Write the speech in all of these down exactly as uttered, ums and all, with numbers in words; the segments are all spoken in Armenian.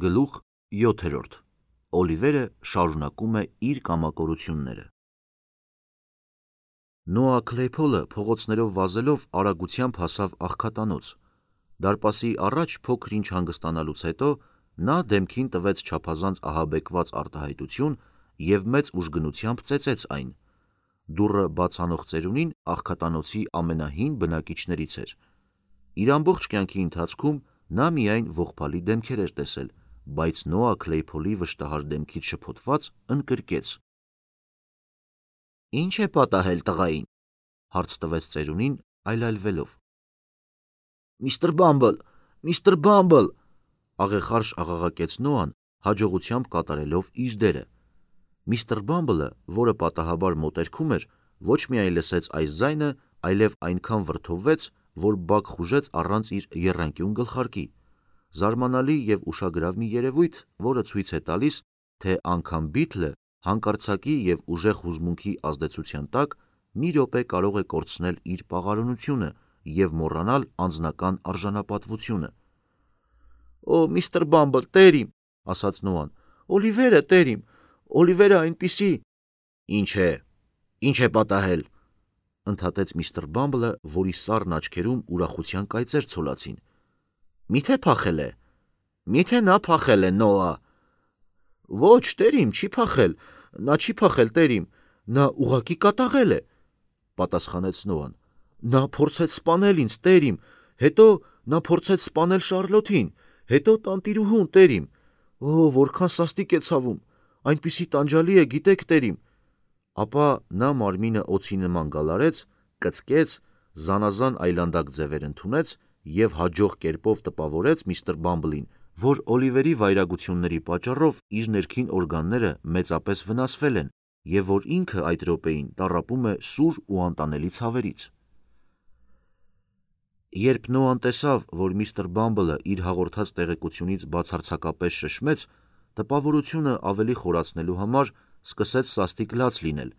Գլուխ յոթերորդ. Օլիվերը շարունակում է իր կամակորությունները։ Նոա Քլեյփոլը փողոցներով վազելով արագությամբ հասավ աղքատանոց։ Դարպասի առաջ փոքր-ինչ հանգստանալուց հետո նա դեմքին տվեց չափազանց ահաբեկված արտահայտություն և մեծ ուժգնությամբ ծեծեց այն։ Դուռը բաց անող ծերունին աղքատանոցի ամենահին բնակիչներից էր։ Իր ամբողջ կյանքի ընթացքում նա միայն ողբալի դեմքեր էր տեսել, բայց Նոա Քլեյփոլի վշտահար դեմքից շփոթված ընկրկեց. «Ի՞նչ է պատահել տղային», հարց տվեց ծերունին այլայլվելով։ «Միստր Բամբլ, միստր Բամբլ», աղեղարշ աղաղակեց Նոան, հաջողությամբ կատարելով իր դերը։ Միստր Բամբլը, որը պատահաբար մոտերքում էր, ոչ միայն լսեց այս ձայնը, այլև այնքան վրդովվեց, որ բակ խուժեց առանց իր եռանկյուն գլխարկի։ Զարմանալի և ուշագրավ մի երևույթ, որը ցույց է տալիս, թե անգամ Բիթլը հանկարծակի և ուժեղ հուզմունքի ազդեցության տակ մի րոպե կարող է կորցնել իր պաղարունությունը և մոռանալ անձնական արժանապատվությունը։ «Օ, միստր Բամբլ, տեր իմ», ասաց Նոան, «Օլիվերը, տեր իմ, Օլիվերը այնպիսի…» «Ինչ է, ինչ է պատահել», ընդհատեց միստր Բամբլը, որի սառն աչքերում ուրախության կայծեր ցոլացին։ «Միթե փախել է, միթե նա փախել է, Նոա»։ «Ոչ, տեր իմ, չի փախել, նա չի փախել, տեր իմ, նա ուղղակի կատաղել է», պատասխանեց Նոան։ «Նա փորձեց սպանել ինձ, տեր իմ, հետո նա փորձեց սպանել Շառլոթին, հետո տանտիրուհուն, տեր իմ։ Օ, որքան սաստիկ է ցավում, այնպիսի տանջալի է, գիտեք, տեր իմ»։ Ապա նա մարմինը օձի նման գալարեց, կծկեց, զանազան այլանդակ ձևեր ընդունեց և հաջող կերպով տպավորեց միստր Բամբլին, որ Օլիվերի վայրագությունների պատճառով իր ներքին օրգանները մեծապես վնասվել են և որ ինքը այդ րոպեին տառապում է սուր ու անտանելի ցավերից։ Երբ Նոան տեսավ, որ միստր Բամբլը իր հաղորդած տեղեկությունից բացարձակապես շշմեց, տպավորությունը ավելի խորացնելու համար սկսեց սաստիկ լաց լինել,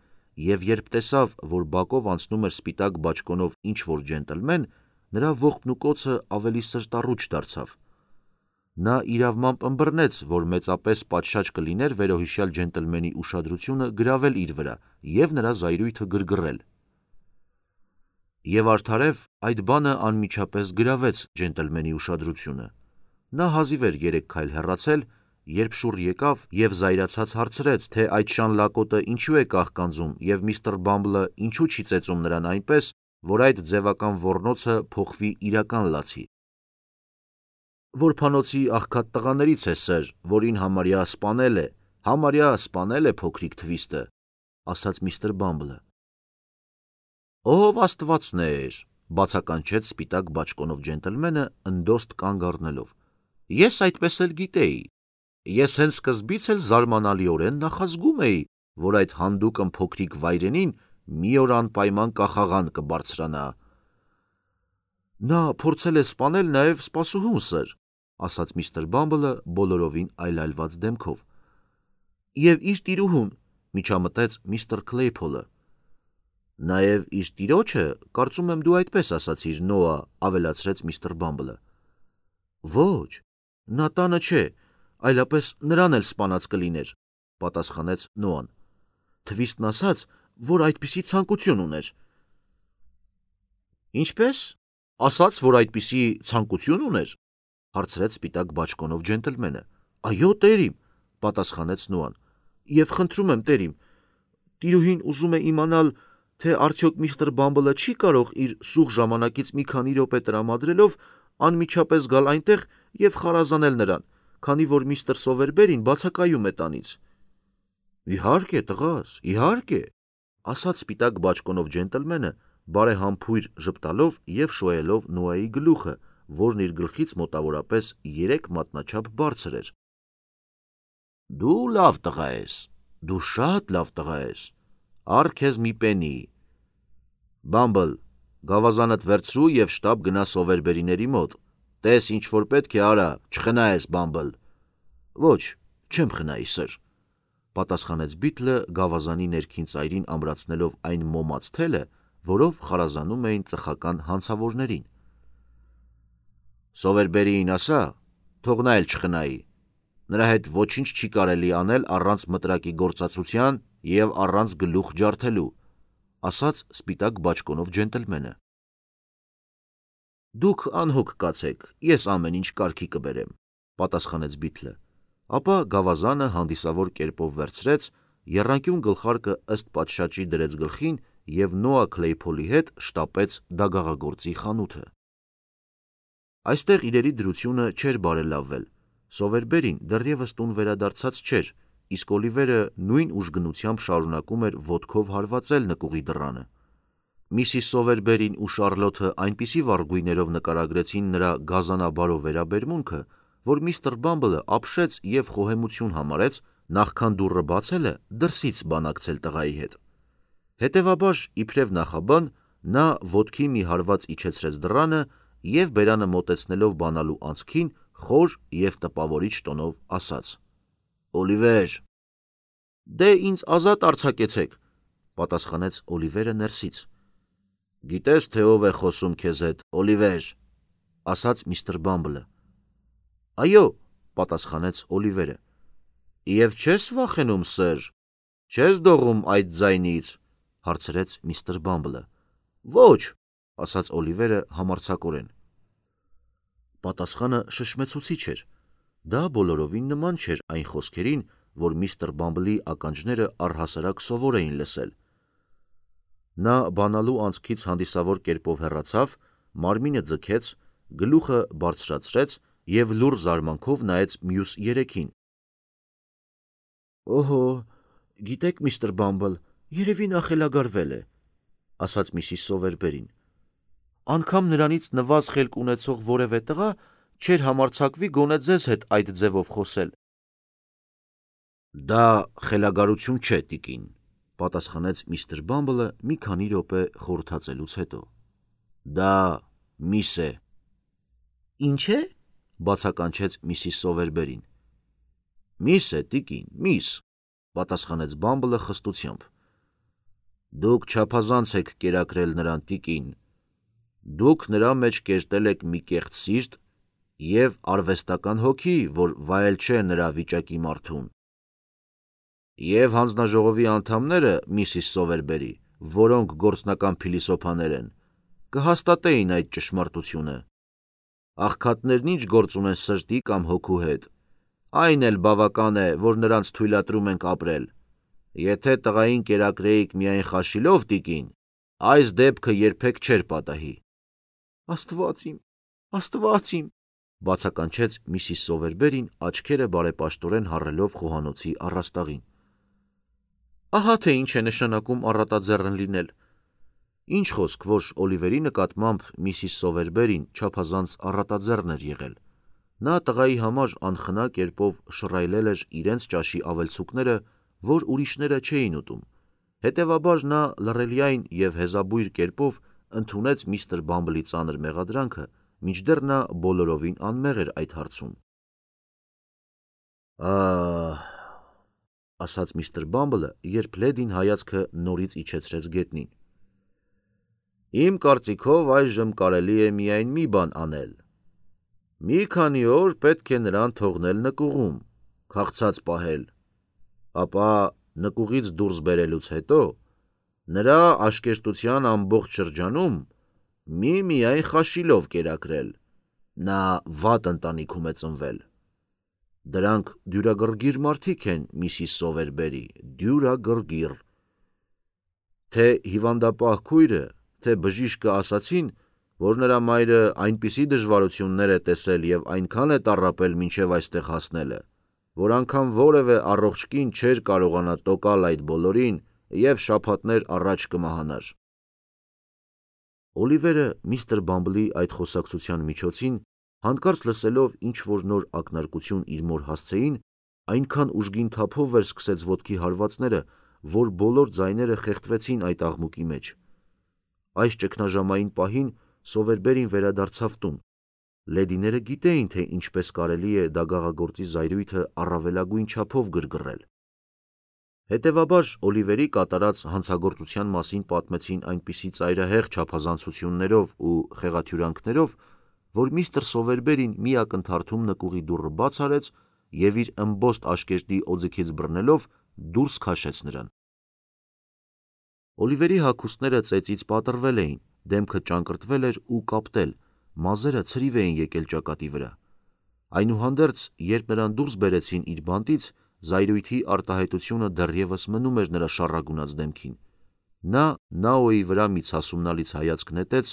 և երբ տեսավ, որ բակով անցնում էր սպիտակ բաճկոնով ինչ-որ ջենտլմեն, նրա ողբն ու կոծը ավելի սրտառուչ դարձավ։ Նա իրավմամբ ըմբռնեց, որ մեծապես պատշաճ կլիներ վերոհիշյալ ջենտլմենի ուշադրությունը գրավել իր վրա և նրա զայրույթը գրգռել։ Եվ արդարև այդ բանը անմիջապես գրավեց ջենտլմենի ուշադրությունը։ Նա հազիվ էր երեք քայլ հեռացել, երբ շուռ եկավ և զայրացած հարցրեց, թե այդ շան լակոտը ինչու է կաղկանձում և միստր Բամբլը ինչու չի ծեծում նրան այնպես, որ այդ ձևական ոռնոցը փոխվի իրական լացի։ «Որբանոցի աղքատ տղաներից է, սըր, որին համարյա սպանել է, համարյա սպանել է փոքրիկ թվիստը», ասաց միստր Բամբլը։ «Ով աստվածներ», բացականչեց սպիտակ բաճկոնով ջենտլմենը, ընդոստ կանգ առնելով։ «Ես այդպես էլ գիտեի։ Ես հենց սկզբից էլ զարմանալիորեն նախազգում էի, որ այդ հանդուկն փոքրիկ վայրենին մի օր անպայման կախաղան կբարձրանա»։ «Նա փորձել է սպանել նաև սպասուհուն, սըր», ասաց միստր Բամբլը բոլորովին այլայլված դեմքով։ «Եվ իր տիրուհուն», միջամտեց միստր Քլեյփոլը։ «Նաև իր տիրոջը, կարծում եմ դու այդպես ասացիր, Նոա», ավելացրեց միստր Բամբլը։ «Ոչ, նա տանը չէ, այլապես նրան էլ սպանած կլիներ», պատասխանեց Նոան։ «Թվիստն ասաց, որ այդպիսի ցանկություն ուներ»։ «Ինչպե՞ս, ասաց, որ այդպիսի ցանկություն ուներ», հարցրեց սպիտակ բաճկոնով ջենտլմենը։ «Այո, տեր իմ», պատասխանեց Նոան, «և խնդրում եմ, տեր իմ, տիրուհին ուզում է իմանալ, թե արդյոք միստր Բամբլը չի կարող իր սուղ ժամանակից մի քանի րոպե տրամադրելով անմիջապես գալ այնտեղ և խարազանել նրան, քանի որ միստր Սովերբերին բացակայում է տանից»։ «Իհարկե, տղաս, իհարկե», ասաց սպիտակ բաճկոնով ջենտլմենը, բարեհամբույր ժպտալով և շոյելով Նոայի գլուխը, որն իր գլխից մոտավորապես երեք մատնաչափ բարձր էր։ «Դու լավ տղա ես, դու շատ լավ տղա ես, առ քեզ մի պենի։ Բամբլ, գավազանդ վերցրու և շտապ գնա Սովերբերիների մոտ, տես ինչ որ պետք է արա, չխնայես, Բամբլ»։ «Ոչ, չեմ խնայի, սըր», պատասխանեց Բիթլը, գավազանի ներքին ծայրին ամրացնելով այն մոմած թելը, որով խարազանում էին ծխական հանցավորներին։ «Սովերբերիին ասա, թող նա էլ չխնայի, Նրա հետ ոչինչ չի կարելի անել առանց մտրակի գործածության և առանց գլուխ ջարդելու, ասաց սպիտակ բաճկոնով ջենտլմենը։ Դուք անհոգ կացեք, ես ամեն ինչ կարգի կբերեմ, պատասխանեց Բիթլը, ապա գավազանը հանդիսավոր կերպով վերցրեց, եռանկյուն գլխարկը ըստ պատշաճի դրեց գլխին և Նոա Քլեյփոլի հետ շտապեց դագաղագործի խանութը։ Այստեղ իրերի դրությունը չէր բարելավվել, Սովերբերին դեռևս տուն վերադարձած չէր, իսկ Օլիվերը նույն ուժգնությամբ շարունակում էր ոտքով հարվածել նկուղի դռանը։ Միսիս Սովերբերին ու Շարլոթը այնպիսի վառ գույներով նկարագրեցին նրա գազանաբարով վերաբերմունքը, որ միստր Բամբլը ապշեց և խոհեմություն համարեց, նախքան դուռը բացելը դրսից բանակցել տղայի հետ։ Հետևաբար, իբրև նախաբան, նա ոտքի մի հարված իջեցրեց դռանը և բերանը մոտեցնելով բանալու անցքին խոր և տպավորիչ տոնով ասաց. «Օլիվեր»։ «Դե ինձ ազատ արձակեցեք», պատասխանեց Օլիվերը ներսից։ «Գիտես, թե ով է խոսում քեզ հետ, Օլիվեր», ասաց միստր Բամբլը։ «Այո», պատասխանեց Օլիվերը։ «Եվ չես վախենում, սըր, չես դողում այդ ձայնից», հարցրեց միստր Բամբլը։ «Ոչ», ասաց Օլիվերը համարձակորեն։ Պատասխանը շշմեցուցիչ էր։ Դա բոլորովին նման չէր այն խոսքերին, որ միստր Բամբլի ականջները առհասարակ սովոր էին լսել։ Նա բանալու անցքից հանդիսավոր կերպով հեռացավ, մարմինը ձգեց, գլուխը բարձրացրեց և լուռ զարմանքով նայեց մյուս երեքին։ «Օհո, գիտեք, միստր Բամբլ, երևի նա խելագարվել է», ասաց միսիս Սովերբերին։ «Անգամ նրանից նվազ խելք ունեցող որևէ տղա չէր համարձակվի գոնե ձեզ հետ այդ ձևով խոսել»։ «Դա խելագարություն չէ, տիկին», պատասխանեց միստր Բամբլը մի քանի րոպե խորհրդածելուց հետո։ «Դա միս է»։ «Ինչ է»։ բացականչեց միսիս Սովերբերին։ «Միս է, տիկին, միս», պատասխանեց Բամբլը խստությամբ։ «Դուք չափազանց եք կերակրել նրան, տիկին։ Դուք նրա մեջ կերտել եք մի կեղծ սիրտ և արվեստական հոգի, որ վայել չէ նրա վիճակի մարդուն։ Եվ հանձնաժողովի անդամները, միսիս Սովերբերի, որոնք գործնական փիլիսոփաներ են, կհաստատեին այդ ճշմարտությունը։ Աղքատներն ինչ գործ ունեն սրտի կամ հոգու հետ, այն էլ բավական է, որ նրանց թույլատրում ենք ապրել։ Եթե տղային կերակրեիք միայն խաշիլով, տիկին, այս դեպքը երբեք չէր պատահի»։ «Աստված իմ, Աստված իմ», բացականչեց միսիս Սովերբերին, աչքերը բարեպաշտորեն հառելով խոհանոցի առաստաղին։ «Ահա թե ինչ է նշանակում առատաձեռն լինել»։ Ինչ խոսք, որ Օլիվերի նկատմամբ միսիս Սովերբերին չափազանց առատաձեռն էր եղել։ Նա տղայի համար անխնա կերպով շռայլել էր իրենց ճաշի ավելցուկները, որ ուրիշները չէին ուտում։ Հետևաբար նա լռելիայն և հեզաբույր կերպով ընդունեց միստր Բամբլի ծանր մեղադրանքը, մինչդեռ նա բոլորովին անմեղ էր այդ հարցում։ «Ահ», ասաց միստր Բամբլը, երբ լեդին հայացքը նորից իջեցրեց գետնին։ «Իմ կարծիքով այժմ կարելի է միայն մի բան անել։ Մի քանի օր պետք է նրան թողնել նկուղում, քաղցած պահել, ապա նկուղից դուրս բերելուց հետո նրա աշկերտության ամբողջ շրջանում մի-միայն խաշիլով կերակրել։ Նա վատ ընտանիքում է ծնվել։ Դրանք դյուրագրգիռ մարդիկ են, միսիս Սովերբերի, դյուրագրգիռ։ Թե հիվանդապահ քույրը, թե բժիշկը ասացին, որ նրա մայրը այնպիսի դժվարություններ է տեսել և այնքան է տառապել մինչև այստեղ հասնելը, որ անգամ որևէ առողջ կին չէր կարողանա տոկալ այդ բոլորին և շաբաթներ առաջ կմահանար»։ Օլիվերը միստր Բամբլի այդ խոսակցության միջոցին, հանկարծ լսելով ինչ-որ նոր ակնարկություն իր մոր հասցեին, այնքան ուժգին թափով վերսկսեց ոտքի հարվածները, որ բոլոր ձայները խեղդվեցին այդ աղմուկի մեջ։ Այս ճգնաժամային պահին Սովերբերին վերադարձավ տուն։ Լեդիները գիտեին, թե ինչպես կարելի է դագաղագործի զայրույթը առավելագույն չափով գրգռել։ Հետևաբար Օլիվերի կատարած հանցագործության մասին պատմեցին այնպիսի ծայրահեղ չափազանցություններով ու խեղաթյուրանքներով, որ միստր Սովերբերին մի ակնթարթում նկուղի դուռը բաց արեց և իր ըմբոստ աշկերտի օձիքից բռնելով դուրս քաշեց նրան։ Օլիվերի հագուստները ծեծից պատռվել էին, դեմքը ճանկռտվել էր ու կապտել, մազերը ցրիվ էին եկել ճակատի վրա։ Այնուհանդերձ, երբ նրան դուրս բերեցին իր բանտից, զայրույթի արտահայտությունը դեռևս մնում էր նրա շառագունած դեմքին։ Նա Նաոյի վրա մի ցասումնալից հայացք նետեց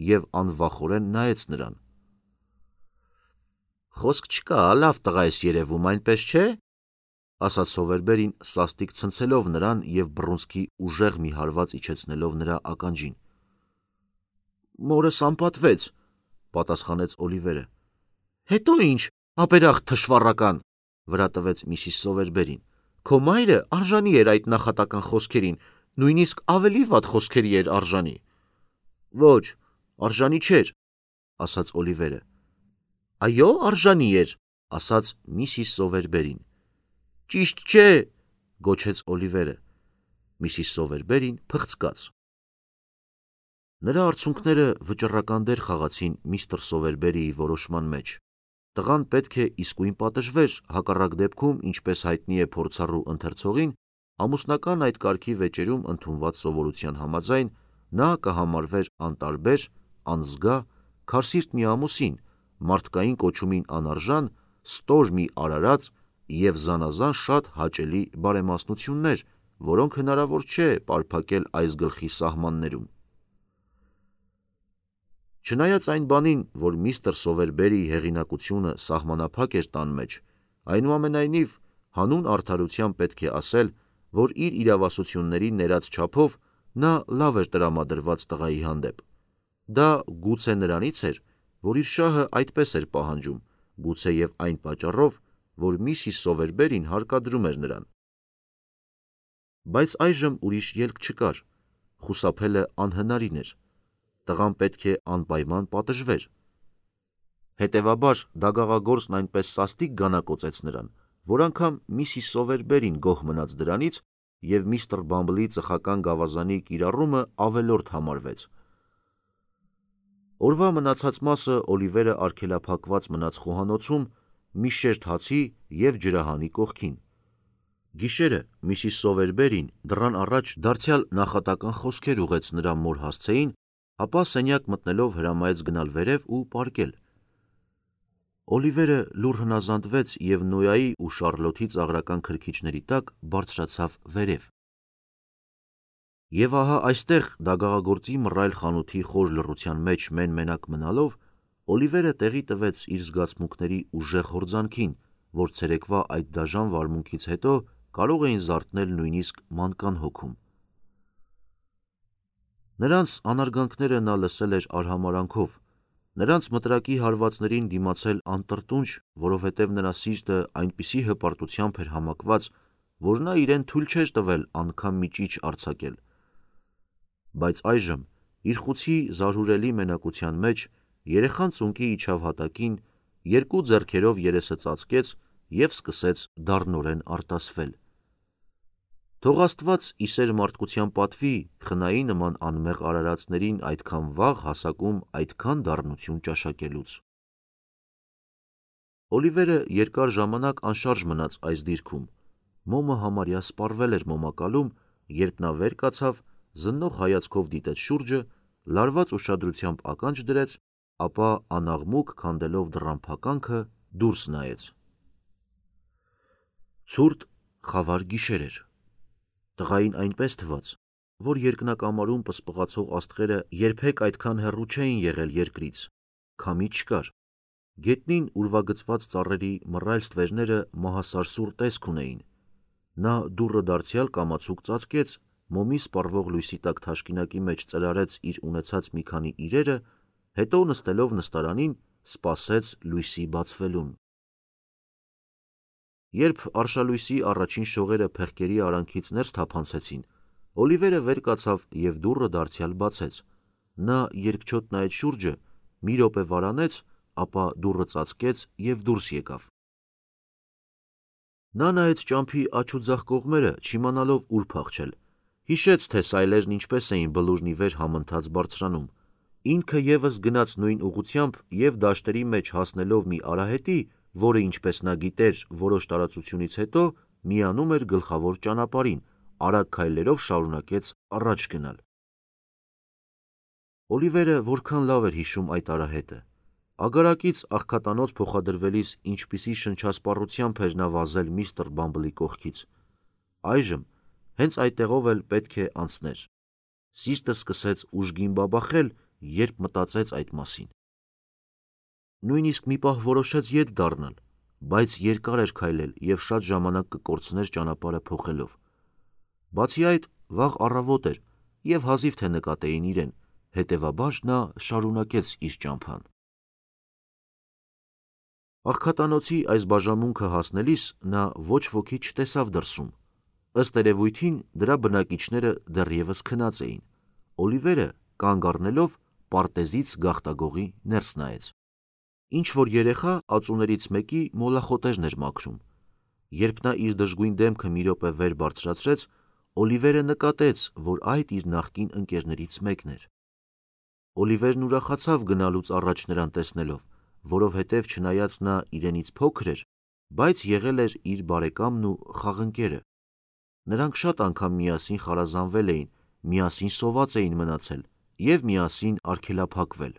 և անվախորեն նայեց նրան։ «Խոսք չկա, լավ տղա ես երևում, այնպես չէ», ասաց Սովերբերին սաստիկ ցնցելով նրան և բռունցքի ուժեղ մի հարված իջեցնելով նրա ականջին։ «Մորս անպատվեց», պատասխանեց Օլիվերը։ «Հետո ինչ, ապերախտ թշվառական», վրա տվեց միսիս Սովերբերին։ «Քո մայրը արժանի էր այդ նախատական խոսքերին, նույնիսկ ավելի վատ խոսքերի էր արժանի»։ «Ոչ, արժանի չէր», ասաց Օլիվերը։ «Այո, արժանի էր», ասաց միսիս Սովերբերին։ «Ճիշտ չէ», գոչեց Օլիվերը։ Միսիս Սովերբերին փղցկաց։ Նրա արցունքները վճռական դեր խաղացին միստր Սովերբերիի որոշման մեջ։ Տղան պետք է իսկույն պատժվեր, հակառակ դեպքում, ինչպես հայտնի է փորձառու ընթերցողին, ամուսնական այդ կարգի վեճերում ընդունված սովորության համաձայն, նա կհամարվեր անտարբեր, անզգա, քարսիրտ մի ամուսին, մարդկային կոչումին անարժան, ստոր մի արարած և զանազան շատ հաճելի բարեմասնություններ, որոնք հնարավոր չէ պարփակել այս գլխի սահմաններում։ Չնայած այն բանին, որ միստր Սովերբերիի հեղինակությունը սահմանափակ էր տան մեջ, այնուամենայնիվ հանուն արդարության պետք է ասել, որ իր իրավասությունների ներած չափով նա լավ էր տրամադրված տղայի հանդեպ։ Դա գուցե նրանից էր, որ իր շահը այդպես էր պահանջում, գուցե և այն պատճառով, որ միսիս Սովերբերին հարկադրում էր նրան։ Բայց այժմ ուրիշ ելք չկար, խուսափելը անհնարին էր, տղան պետք է անպայման պատժվեր։ Հետևաբար դագաղագործն այնպես սաստիկ գանակոծեց նրան, որ անգամ միսիս Սովերբերին գոհ մնաց դրանից, և միստր Բամբլի ծխական գավազանի կիրառումը ավելորդ համարվեց։ Օրվա մնացած մասը Օլիվերը արգելափակված մնաց խոհանոցում մի շերտ հացի և ջրահանի կողքին։ Գիշերը միսիս Սովերբերին դռան առաջ դարձյալ նախատական խոսքեր ուղղեց նրա մոր հասցեին, ապա սենյակ մտնելով հրամայեց գնալ վերև ու պառկել։ Օլիվերը լուռ հնազանդվեց և Նոյայի ու Շառլոթի ծաղրական քրքիջների տակ բարձրացավ վերև։ Եվ ահա այստեղ դագաղագործի մռայլ խանութի խոր լռության մեջ մեն-մենակ մնալով, Օլիվերը տեղի տվեց իր զգացմունքների ուժեղ հորձանքին, որ ցերեկվա այդ դաժան վարմունքից հետո կարող էին զարթնել նույնիսկ մանկան հոգում։ Նրանց անարգանքները նա լսել էր արհամարհանքով, նրանց մտրակի հարվածներին դիմացել անտրտունջ, որովհետև նրա սիրտը այնպիսի հպարտությամբ էր համակված, որ նա իրեն թույլ չէր տվել անգամ մի ճիչ արձակել։ Բայց այժմ, իր խուցի զարհուրելի մենակության մեջ, երեխան ծունկի իջավ հատակին, երկու ձեռքերով երեսը ծածկեց և սկսեց դառնորեն արտասվել։ Թող Աստված ի սեր մարդկության պատվի խնայի նման անմեղ արարածներին այդքան վաղ հասակում այդքան դառնություն ճաշակելուց։ Օլիվերը երկար ժամանակ անշարժ մնաց այս դիրքում, մոմը համարյա սպառվել էր մոմակալում, երբ նա վեր կացավ, զննող հայացքով դիտեց շուրջը, լարված ուշադրությամբ ականջ դրեց, ապա անաղմուկ քանդելով դռան փականքը դուրս նայեց։ Ցուրտ, խավար գիշեր էր։ Տղային այնպես թվաց, որ երկնակամարում պսպղացող աստղերը երբեք այդքան հեռու չէին եղել երկրից, քամի չկար։ Գետնին ուրվագծված ծառերի մռայլ ստվերները մահասարսուռ տեսք ունեին։ Նա դուռը դարձյալ կամացուկ ծածկեց, մոմի սպառվող լույսի տակ թաշկինակի մեջ ծրարեց իր ունեցած մի քանի իրերը, հետո նստելով նստարանին, սպասեց լույսի բացվելուն։ Երբ արշալույսի առաջին շողերը փեղկերի արանքից ներս թափանցեցին, Օլիվերը վեր կացավ և դուռը դարձյալ բացեց։ Նա երկչոտ նայեց շուրջը, մի րոպե վարանեց, ապա դուռը ծածկեց և դուրս եկավ։ Նա նայեց ճամփի աջ ու ձախ կողմերը, չիմանալով ուր փախչել, հիշեց, թե սայլերն ինչպես էին բլուրն ի վեր համընթաց բարձրանում։ Ինքը ևս գնաց նույն ուղղությամբ և դաշտերի մեջ հասնելով մի արահետի, որը ինչպես նա գիտեր որոշ տարածությունից հետո միանում էր գլխավոր ճանապարհին, արագ քայլերով շարունակեց առաջ գնալ։ Օլիվերը որքան լավ էր հիշում այդ արահետը։ Ագարակից աղքատանոց փոխադրվելիս ինչպիսի շնչասպառությամբ էր նա վազել միստր Բամբլի կողքից։ Այժմ հենց այդտեղով էլ պետք է անցներ։ Սիրտը սկսեց ուժգին բաբախել, երբ մտածեց այդ մասին։ Նույնիսկ մի պահ որոշեց ետ դառնալ, բայց երկար էր քայլել և շատ ժամանակ կկորցներ ճանապարհը փոխելով։ Բացի այդ, վաղ առավոտ էր և հազիվ թե նկատեին իրեն, հետևաբար նա շարունակեց իր ճամփան։ Աղքատանոցի այս բաժանմունքը հասնելիս նա ոչ ոքի չտեսավ դրսում։ Ըստ երևույթին դրա բնակիչները դեռևս քնած էին։ Օլիվերը կանգ առնելով պարտեզից գաղտագողի ներս նայեց։ Ինչ-որ երեխա ածուներից մեկի մոլախոտերն էր մաքրում։ Երբ նա իր դժգույն դեմքը մի րոպե վեր բարձրացրեց, Օլիվերը նկատեց, որ այդ իր նախկին ընկերներից մեկն էր։ Օլիվերն ուրախացավ գնալուց առաջ նրան տեսնելով, որովհետև չնայած նա իրենից փոքր էր, բայց եղել էր իր բարեկամն ու խաղընկերը։ Նրանք շատ անգամ միասին խարազանվել էին, միասին սոված էին մնացել և միասին արգելափակվել։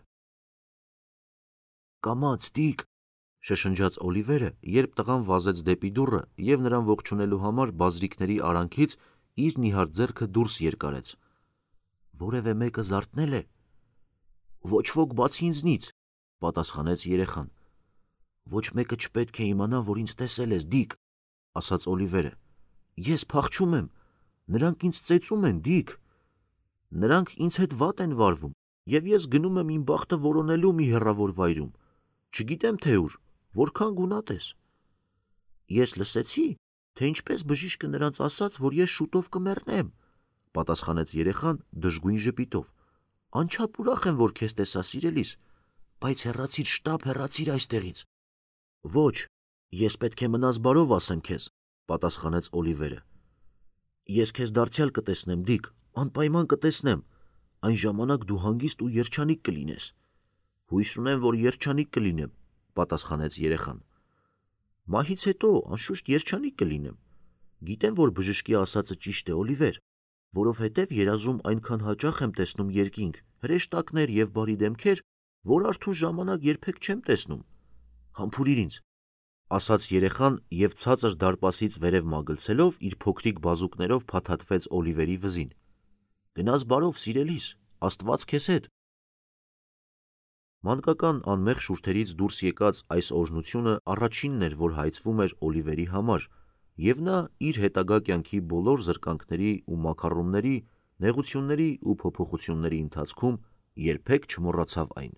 «Կամաց, Դիկ», շշնջաց Օլիվերը, երբ տղան վազեց դեպի դուռը և նրան ողջունելու համար բազրիքների արանքից իր նիհար ձեռքը դուրս երկարեց։ «Որևէ մեկը զարթնե՞լ է»։ «Ոչ ոք բացի ինձնից», պատասխանեց երեխան։ «Ոչ մեկը չպետք է իմանա, որ ինձ տեսել ես, Դիկ», ասաց Օլիվերը։ «Ես փախչում եմ, նրանք ինձ ծեծում են, Դիկ։ Նրանք ինձ հետ վատ են վարվում, և ես գնում եմ իմ բախտը որոնելու մի հեռավոր վայրում, չգիտեմ թե ուր, որքան գունատ ես»։ «Ես լսեցի, թե ինչպես բժիշկը նրանց ասաց, որ ես շուտով կմեռնեմ», պատասխանեց երեխան դժգույն ժպիտով։ «Անչափ ուրախ եմ, որ քեզ տեսա, սիրելիս, բայց հեռացիր, շտապ հեռացիր այստեղից»։ «Ոչ, ես պետք է մնաս բարով ասեմ քեզ», պատասխանեց Օլիվերը։ «Ես քեզ դարձյալ կտեսնեմ, Դիկ, անպայման կտեսնեմ, այն ժամանակ դու հանգիստ ու երջանիկ կլինես»։ «Հույս ունեմ, որ երջանիկ կլինեմ», պատասխանեց երեխան։ «Մահից հետո, անշուշտ, երջանիկ կլինեմ։ Գիտեմ, որ բժշկի ասածը ճիշտ է, Օլիվեր, որովհետև երազում այնքան հաճախ եմ տեսնում երկինք, հրեշտակներ և բարի դեմքեր, որ արթուն ժամանակ երբեք չեմ տեսնում։ Համբուրիր ինձ», ասաց երեխան և ցածր դարպասից վերև մագլցելով իր փոքրիկ բազուկներով փաթաթվեց Օլիվերի վզին։ «Գնաս բարով, սիրելիս, Աստված քեզ հետ»։ Մանկական անմեղ շուրթերից դուրս եկած այս օրհնությունը առաջինն էր, որ հայցվում էր Օլիվերի համար, և նա իր հետագա կյանքի բոլոր զրկանքների ու մաքառումների, նեղությունների ու փոփոխությունների ընթացքում երբեք չմոռացավ այն։